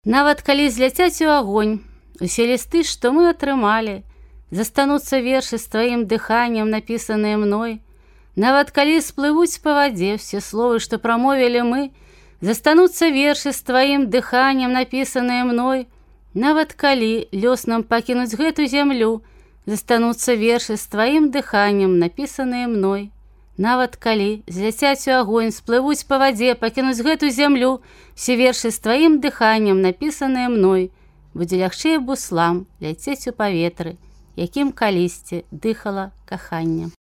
Нават калі зляцяць у агонь, усе лісты, што мы атрымалі, застануцца вершы з тваім дыханнем, напісаныя мной. Нават калі сплывуць па вадзе все словы, што прамовілі мы, застануцца вершы з тваім дыханнем, напісаныя мной. Нават калі лёс нам пакінуць гэту зямлю, застануцца вершы з тваім дыханнем, напісаныя мной. Нават калі зляцяць у агонь, сплывуць па вадзе, пакінуць гэту зямлю, все вершы з тваім дыханнем, напісаныя мной. Будзе лягчэй буслам ляцець у паветры, якім калісьці дыхала каханне.